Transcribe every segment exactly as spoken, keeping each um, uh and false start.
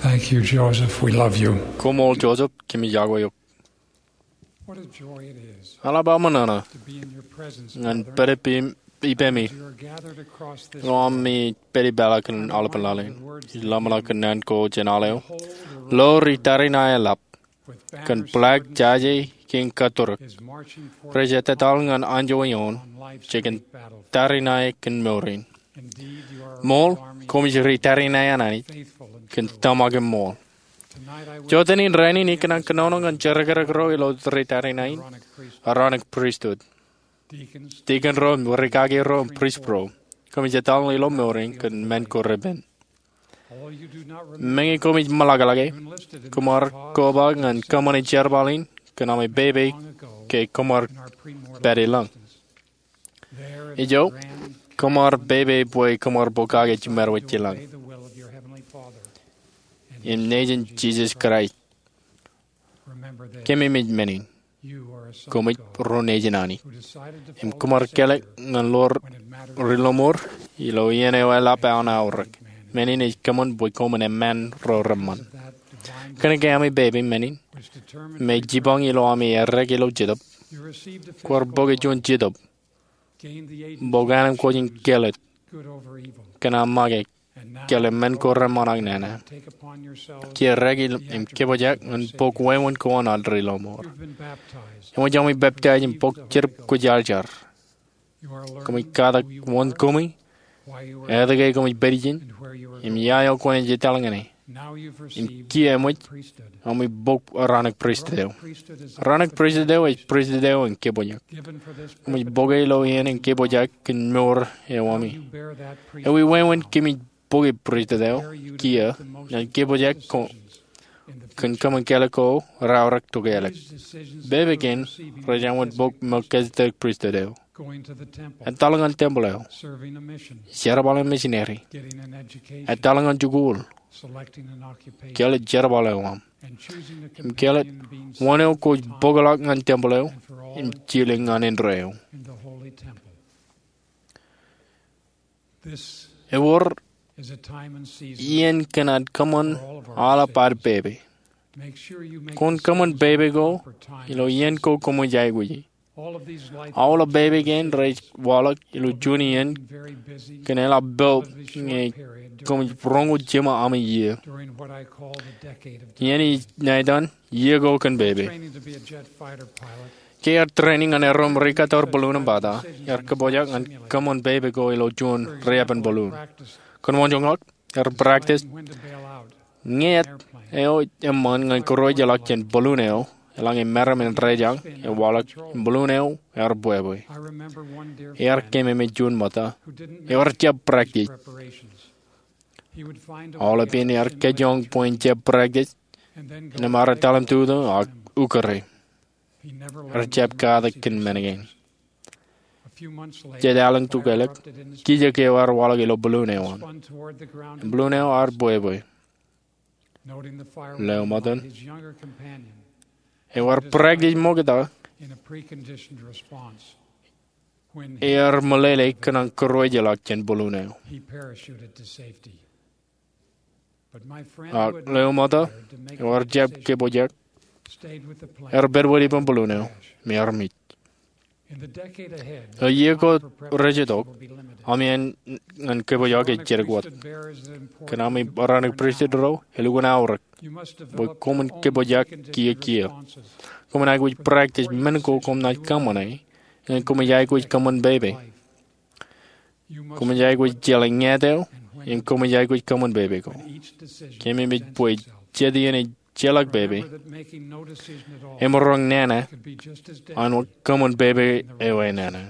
Thank you, Joseph. We love you. Koṃṃool Joseph, kōmij iọkwe eok. What a joy it is Eḷap aṃ ṇa to be in your presence, ñan Father, pād ippemi as we are gathered across this ilo aṃ world, ippān ippān kōn aolepān laḷ in. Ij ḷōmṇak kōn naan ko jān aolep eo. Behold, the Lo, ri tariṇae eḷap, with kōn banners flak, embroidered in jaje, kein kōtturuk, is marching forth rej etetal ñan anjọ eoon, on life's jekōn great battlefield. Tariṇae kōn mour in. Indeed, you are a Ṃool, army koṃij ri tariṇae an Anij, faithful and kōn true. Tōmak im ṃool. Tonight I wish Jotenin rainin ikōṇaan kōnono ñan jerkakrak ro ilo ri tariṇae in, Aaronic priesthood. Aaronic pristut. Deacons, Dikon ro, rikaki ro, prist ro. Koṃij etal ilo mour in kōn men ko repen. Meñe koṃij ṃōḷaḷḷọke, koṃ ar koba ñan kōṃṃane jerbal in kōn ami pepe ke koṃ ar pād ilañ. Ijo, koṃ ar pepe bwe koṃ ar bōk kake jiṃor wōt ilañ. Im nejin Jisōs Kraist, kōmij men in. Koṃij ro nejin Anij. Im koṃ ar kelọk ñan ḷoor ri lọmọọr ilo iien eo eḷap an aorōk. Men in ej kōṃṃan bwe koṃwin eṃṃan ro reṃṃan. Kōnke ami pepe men in, im ej jipañ ilo ami errā ilo jetōb, kwaar bōke juon jetōb, bōk ānōm ko jān kelōt, kōn aṃ make kōn men ko reṃṃan ak nana. Kiiō errā im kōpojak ñan bōk wāween ko an ad ri lọmọọr. Eṃōj ami peptaij im bōk Jetōb Kwōjarjar. Koṃij katak wōn koṃi, etke koṃij pād ijin, im ia eo kwōnaaj etal ñane. Im kiiō eṃōj ami bōk Aaronic pristut eo. Aaronic pristut eo ej pristut eo in kōpojak. Koṃij bōke ilo iien in kōpojak kōn mour eo ami. Ewi wāween koṃij bōke pristut eo kiiō ñan kōpojak ko kōn kōṃṃan kelọk ko raorōk tokālik? Pepe kein rej āinwōt bōk Melchizedek pristut eo. Etal ñan tempel eo. Jerbal im misineri. Etal ñan jikuuḷ. Kelōt jerbal eo aṃ. Im kelōt wōn eo kwōj bōkḷọk ñan tempel eo im jilōk ñan indeeo. Ewōr iien kōn ad kōṃṃan aolep ad pepe. Kwōn kōṃṃan pepe ko ilo iien ko koṃij aikuji. Aolep pepe kein rej waḷọk ilo juon iien kōn eḷap poob ñe koṃij roñoul jiṃa ami iiō. Iien ij ṇa etan iiō ko kōn pepe. Ke ear training ñan erom rikattoor balloon im bata, ear kōpojak ñan kōṃṃan pepe ko ilo juon riepen balloon. Kōn wōnjoñak, ear practice ñe eo eṃṃan ñan kūrwōjḷọk jān balloon eo, eḷaññe meram in rejañ, ewaḷọk im balloon eo ear bwebwe. Ear kememej juon ṃōtta eo ear jab practice. Aolep iien ear kōjjoñ bwe en jab practice, innām ear etal im tutu ak ukōrā. Ear jab katak kōn men kein. Jet alen tokālik, kiiō ke eo ear waḷọk ilo balloon eo an. Im balloon eo ear bwebwe. Leo ṃōttan, eo ear practice ṃokta, ear meḷeḷe kōn an kūrwōjḷọk jān balloon eo. Ak leo ṃōttan eo ear jab kōpojak, ear pād wōt ippān balloon eo im ear mej. Ilo iiō ko rej itok, ami āne ñan kōpojak ej jidik wōt. Kōn ami Aaronic pristut ro, elukkuun aorōk bwe koṃwin kōpojak kiiō kiiō. Koṃwin aikuj practice men ko koṃ naaj kōṃṃane ñe koṃij aikuj kōṃṃan pepe. Koṃij aikuj jeḷā ñāāt eo, im koṃij aikuj kōṃṃan pepe ko. Kōmij mej bwe jet iien ejjeḷọk pepe, emaroñ nana āinwōt kōṃṃan pepe eo enana.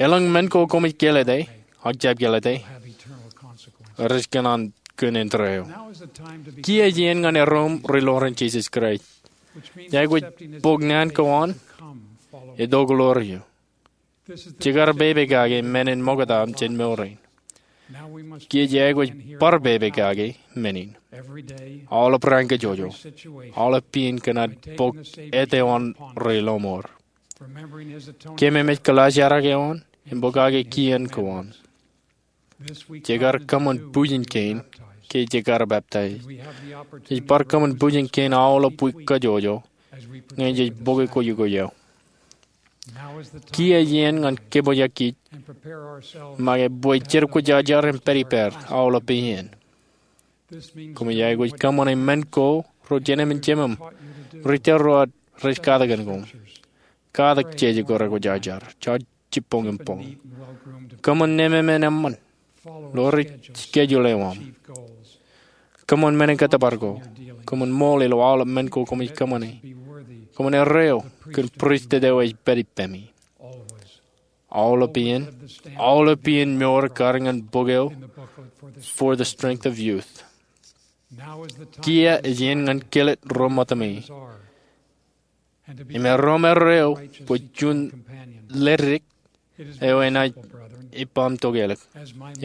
Elōñ men ko koṃij kelete ak jab kelete rej kōṇaan kōn indeeo. Kiiō ej iien ñan erom ri ḷoor in Jisōs Kraist. Ej aikuj bōk naan ko an, itok ḷoor eō. Jekar pepe kake men in ṃokta jān mour in. Kiiō ej aikuj bar pepe kake men in. Aolep raan kajjojo, aolep pein kōn ad bōk āt eo an ri lọmọọr. Kōmemej kōḷaajrak eo an im bōk kake kien ko an. Jekar kōṃṃan pujin kein ke ej kar peptaij. Ej bar kōṃṃan bwijin kein aolep wiik kajjojo ñe jej bōke kwōjkwōj eo. Kiiō iien ñan kōpojakkij make bwe jerbal kwōjarjar im pād ippād aolep iien. Koṃij aikuj kōṃṃane men ko ro jemem im jemem rej tōl ro ad rej katak kōn koṃ. Katak jeje ko rekwōjarjar, jaar jibboñ im boñ. Kōṃṃan nemāmein eṃṃan. Ḷoor schedule eo aṃ. Kōṃṃan men in kōttōpar ko. Kōṃṃan ṃool ilo aolep men ko koṃij kōṃṃane. Kōṃṃan erreo kōn pristut eo ej pād ippemi. Aolep iien, aolep iien mour kar ñan bok eo For the Strength of Youth. Kiiō ej iien ñan kilet ro ṃōttami. Im erom erreo bwe juon ledik eo enaaj ippaṃ tokālik.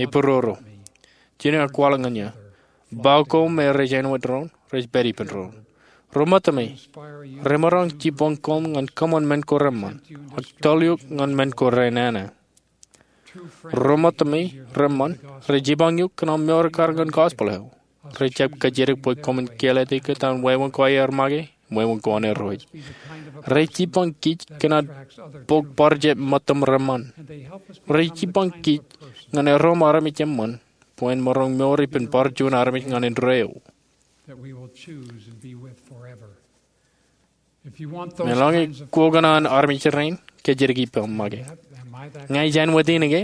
Epororo. Jen aer kwaḷọk ñan eō. Ba ko me rej āinwōt doon, rej pād ippān doon. Ro ṃōttami, remaroñ jibboñ koṃ ñan kōṃṃan men ko reṃṃan, ak tōl eok ñan men ko renana. Ro ṃōttami reṃṃan rej jibboñ eok kōn aṃ mour kar ñan gospel eo. Rej jab kōjatdikdik bwe koṃwin kilet ikōtaan wāween ko aer make im wāween ko an Irooj. Rej jibboñ kij kōn ad bōk bar jab ṃōttam reṃṃan. Rej jibboñ kij ñan erom armej eṃṃan bwe en maroñ mour ippān bar juon armej ñan indeeo. Meḷọñe kwō kōṇaan armej rein, kōjatdikdik ippaṃ make. Ña ij āinwōt in ke?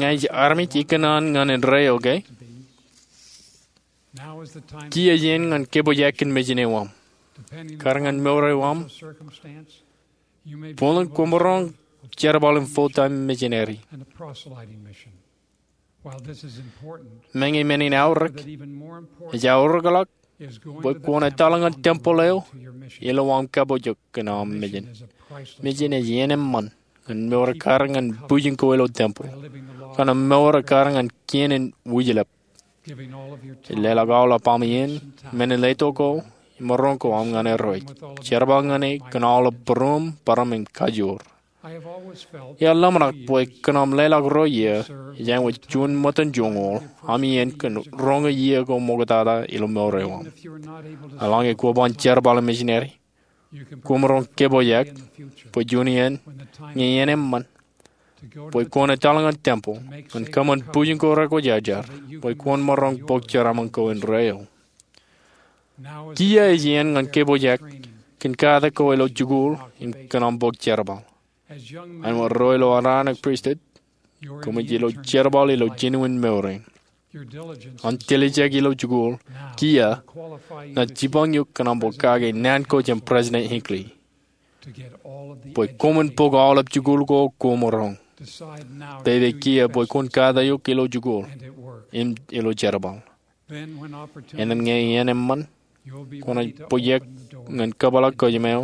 Ña ij armej ikōṇaan ñan indeeo ke? Kiiō iien ñan kōpojakkij mejān eo aṃ. Kar ñan mour eo aṃ, buñtōn kwōmaroñ jerbal im full-time missionary. Meñe men in eaorōk, ej eaorōkḷọk bwe kwōn etal ñan tempeḷ eo ilo aṃ kapooj eok kōn aṃ mejān. Mejān ej iien eṃṃan ñan mour kar ñan bwijin ko ilo tempeḷ, kōn aṃ mour kar ñan kien in wijlep. Ej leḷọk aolep aṃ iien, men in letok ko, im maroñ ko aṃ ñan Irooj. Jerbal ñan e kōn aolep būruōm, bōrōm im kajoor. Iar ḷōmṇak bwe kōn aṃ leḷọk ro iiō, ij āinwōt juon ṃōttan joñoul, aṃ iien kōn roñoul iiō ko ṃoktata ilo mour eo aṃ. Eḷaññe kwō ban jerbal im missionary, kwōmaroñ kōpojak bwe juon iien, ñe iien eṃṃan, bwe kwōn etal ñan tempeḷ ñan kōṃṃan bwijin ko rekwōjarjar bwe kwōn maroñ bōk jeraaṃṃan ko indeeo. Kiiō ej iien ñan kōpojak kōn katak ko ilo jikuuḷ im kōn aṃ bōk jerbal. Āinwōt ro ilo aō raan in pristut, koṃij ilo jerbal ilo jinen mour in. Aṃ tiljek ilo jikuuḷ kiiō enaaj jibboñ eok kōn aṃ bōk kake naan ko jān President Hinckley bwe koṃwin bōk aolep jikuuḷ ko kwōmaroñ. Pepe kiiō bwe kwōn katak eok ilo jikuuḷ im ilo jerbal. Innām ñe iien eṃṃan, kwōnaaj pojak ñan kōpeḷḷọk kōjām eo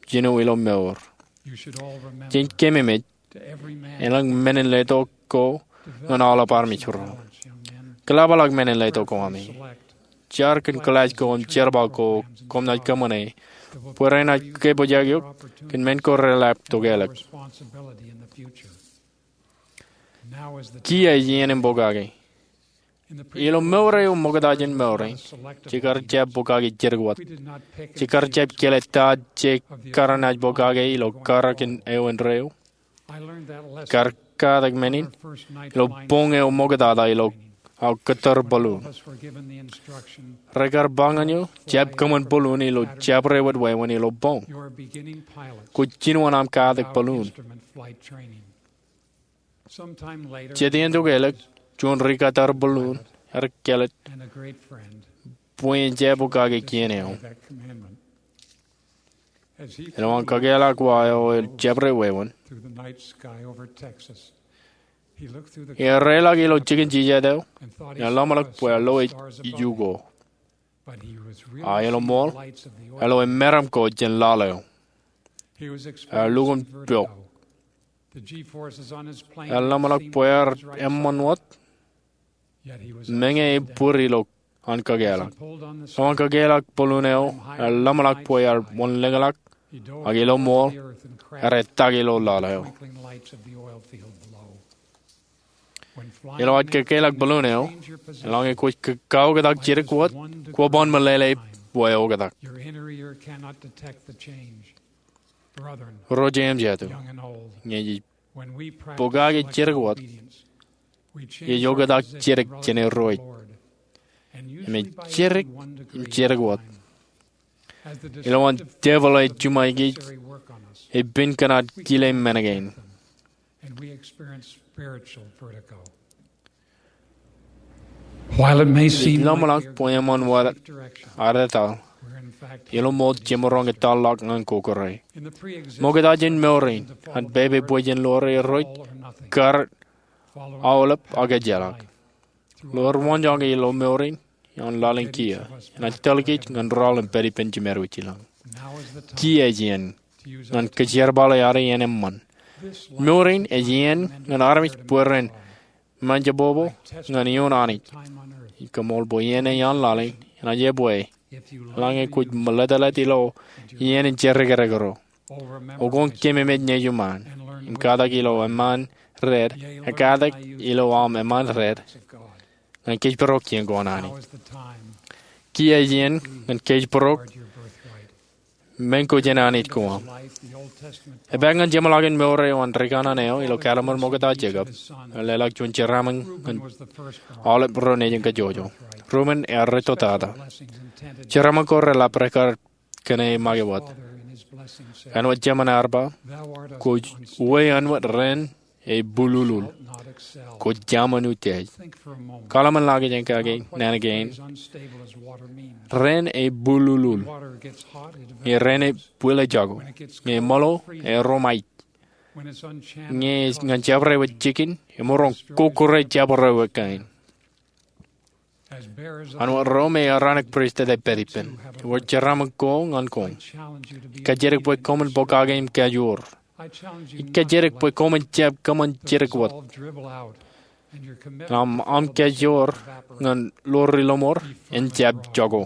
jān eo ilo mour. Jen keememej elōñ men in letok ko ñan aolep armej ro. Kōḷapḷọk men in letok ko ami. Jar kōn kōḷaaj ko im jerbal ko koṃ naaj kōṃṃane bwe renaaj kōpojak eok kōn men ko reḷap tokālik. Kiiō ej iien in bōk kake. Ilo mour eo ṃokta jān mour in, jekar jab bōk kake jidik wōt. Jekar jab kile ta jekar naaj bōk kake ilo karōk eo indeeo. Kar katak men in ilo boñ eo ṃoktata ilo aō kōttar balloon. Rekar ba ñan eō, jab kōṃṃan balloon ilo jabdewōt wāween ilo boñ. Kwōj jinō an aṃ katak balloon. Jet iien tokālik, juon ri-kōttar balloon ear kile bwe en jab bōk kake kien eo. Ilo an kakeḷọk wa eo ilo jabdewōt wāween, ear reḷọk ilo jikin jijet eo im eḷap ḷọk bwe ear lo iju ko. A ilo ṃool, ear lo meram ko jān laḷ eo. Ear lukkuun pok. Ear ḷap ḷọk bwe ear eṃṃan wōt. Meñe ebōd ilo an kakeḷọk. Ilo an kakeḷọk balloon eo, ear ḷap ḷọk bwe ear wōnlōñḷọk, ak ilo ṃool, ear etak ilo laḷ eo. Ilo ad kōkkeḷọk balloon eo, eḷaññe kwōj kaoktak jidik wōt, kwō ban meḷeḷe bwe oktak. Ro jeiū im jatū, ñe jej pokake jidik wōt, jej oktak jidik jān Irooj. Im ej jidik im jidik wōt. Ilowaan devil ej juṃae kōj, ej pād kōn ad kile men kein. Ij lọmọḷọk bwe eṃṃan wōt ad etal, ilo ṃool jemaroñ etal ḷọk ñan kokkure. Ṃokta jān mour in, ad pepe bwe jen ḷoor Irooj, kar aolep ak ejjeḷọk. Ḷoor waanjoñak ilo mour in, ioon laḷ in kiiō, enaaj tōl kōj ñan rọọl im pād ippān Jemedwōj ilañ. Kiiō ej iien ñan kōjerbale ad iien eṃṃan. Mour in ej iien ñan armej bwe ren ṃōjjab bōkbōk ñan iioon Anij. Ij koṃṃool bwe iien eo ioon laḷ in enaaj ebwe, eḷaññe kwōj meḷeḷeik ilo iien in jerrekerrekro. Oktak kōm im ej nejiṃaan, im katak ilo eṃṃaan red, ekkatak ilo aṃ eṃṃaan red, ñan kōjparok iien ko an Anij. Kiiō ej iien ñan kōjparok men ko jān Anij ko aṃ. Epaak ñan jeṃḷọkin mour eo an rikanaan eo ilo Kallim̧ur Ṃokta Jekob, leḷọk juon jeraaṃṃan ñan aolep ro nejin kajjojo. Rumen ear rūtto tata. Jeraaṃṃan ko reḷap rekar kōṇaan make wōt. Āinwōt Jemān ear ba, kwōj uwe āinwōt raan eo ebululul. Kwōj jaṃaan utiej. Kaḷmenḷọkjeṇ kake naan kein. Raan eo ebululul. Ñe raan eo ebwilōñ jako. Ñe eṃōḷo, erom aij. Ñe ñan jabdewōt jikin, emaroñ kokkure jabdewōt kain. Āinwōt ro me Aaronic Pristut ej pād ippān, ewōr jeraaṃṃan ko ñan koṃ. Ij kajjitōk bwe koṃwin pokake im kajoor. Ij kajjitōk bwe koṃwin jab kōṃṃan jidik wōt. Im aṃ kajoor ñan ḷoor ri lọmọọr en jab jako.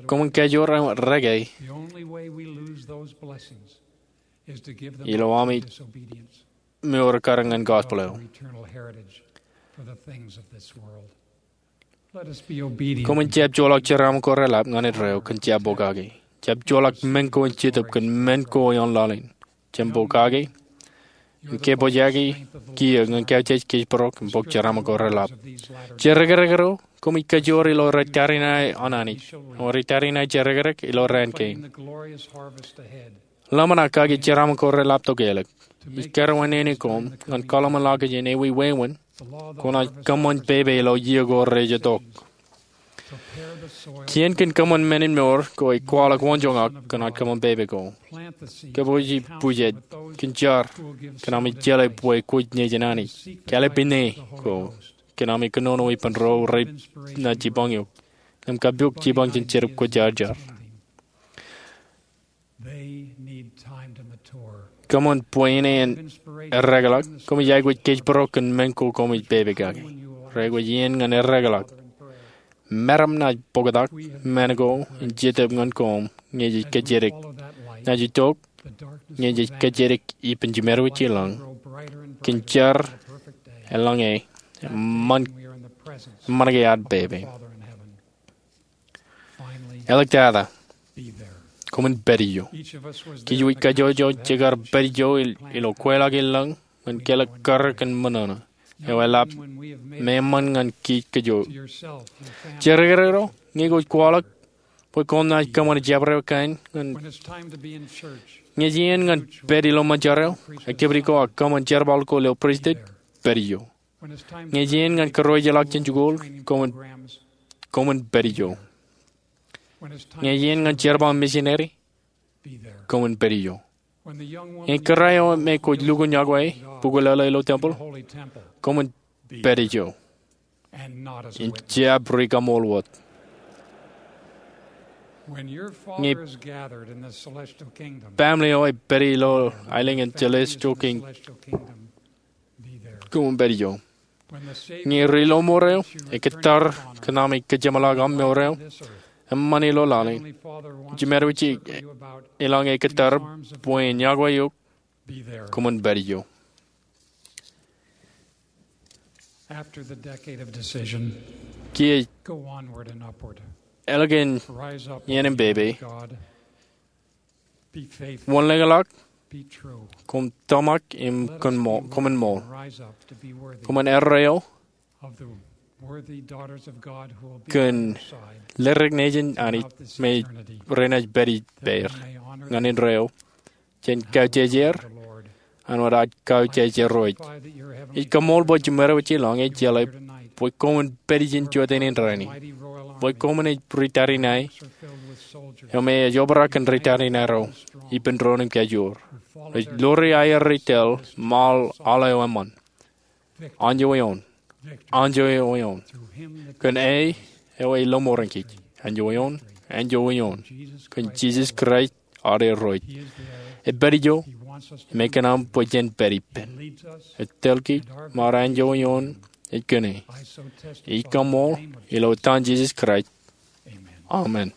Koṃwin kajoor āinwōt reke ilo ami mour ekkar ñan gospel eo. Koṃwin jab joḷọk jeraaṃṃan ko reḷap ñan indeeo kōn jab pokake. Jab joḷọk men ko in Jetōb kōn men ko ioon laḷ in. Jab pokake im kōpojaki kiiō ñan kōj jej kōjparok im bōk jeraaṃṃan ko reḷap. Jerrekerrekro, koṃij kajoor ilo ri tariṇae an Anij, ri tariṇae jerrekerrek ilo raan kein. Ḷōmṇak kake jeraaṃṃan ko reḷap to ke ḷọk. Ij kōrā nene koṃ ñan kaḷmenḷọkjeṇ ewi wāween kwōnaaj kōṃṃan pepe ilo iiō ko rej itok. Kien kōn kōṃṃan men in mour ko ej kwaḷọk waanjoñak kōn aṃ kōṃṃan pepe ko. Kōpooji pujed kōn jar kōn ami jeḷā bwe kwōj nejin Anij. Kālōt pine ko kōn ami kōnono ippān ro renaaj jipañ eok. Im kapiok jipañ jān Jetōb Kwōjarjar. Kōṃṃan bwe ine en eddekḷọk, koṃij aikuj kōjparok kōn men ko koṃij pepe kake. Reaikuj iien ñan eddekḷọk. Meram naaj bōktak men ko in Jetōb ñan koṃ ñe jej kōjatdikdik. Naaj itok ñe jej kōjatdikdik ippān Jemedwōj ilañ kōn jar eḷaññe eṃṃan ke ad pepe. Eḷap tata, koṃwin pād ijo. Kōj wōj kajjojo jekar pād ijo ilo kweilọk ilañ ñan kelōk karreoik kōn ṃōṇōṇō eo eḷap me eṃṃan ñan kōj kajjojo. Jerrekerrekro, ñe kwōj kwaḷọk bwe koṃ naaj kōṃṃan jabdewōt kain ñe ej iien ñan pād ilo ṃōjarro, activity ko ak kōṃṃan jerbal ko ilo pristut, pād ijo. Ñe ej iien ñan kōrreojeḷọk jān jikuuḷ, koṃwin pād ijo. Ñe ej iien ñan jerbal misineri, koṃwin pād ijo. Ñe kōrā eo me kwōj lukkuun yokwe bukwi lōḷḷō ilo tempel, koṃwin pād ijo im jab rikaṃool wōt. Ñe baaṃle eo ej pād ilo aelōñ in celestial kingdom, koṃwin pād ijo. Ñe ri lọmọọr eo ekkōttar kōn ami kōjeṃḷọk aṃ mour eo eṃṃan ilo laḷ in, Jemedwōj ilañ ekkōttar bwe en yokwe eok, koṃwin pād ijo. Kiiō ālikin iien in pepe, wōnḷōñḷọk, koṃ tōmak im koṃwin ṃool. Koṃwin erreo kōn ledik nejin Anij me renaaj pād ippāer ñan indeeo jān kaujejeer an wōt aō kaujejerooj. Ij kaṃool bwe jiṃwe wōt ej jeḷā bwe koṃwin pād ijin jota in rainin, bwe koṃwin ej ri tariṇae eo me ej obrak kōn ri tariṇae ro ippān doon im kajoor, ej ḷoori aer ri tōl im aḷ aḷ eo eṃṃan. Anjọ eoon, anjọ eoon, kōn e eo elōṃoor ñan kōj. Anjọ eoon, anjọ eoon, kōn Jisōs Kraist ad Irooj. Epād ijo im ekōṇaan bwe jen pād ippān. Etōl kōj ṃae anjọ eoon ej kōn e. Ij kaṃool ilo etan Jisōs Kraist, amen.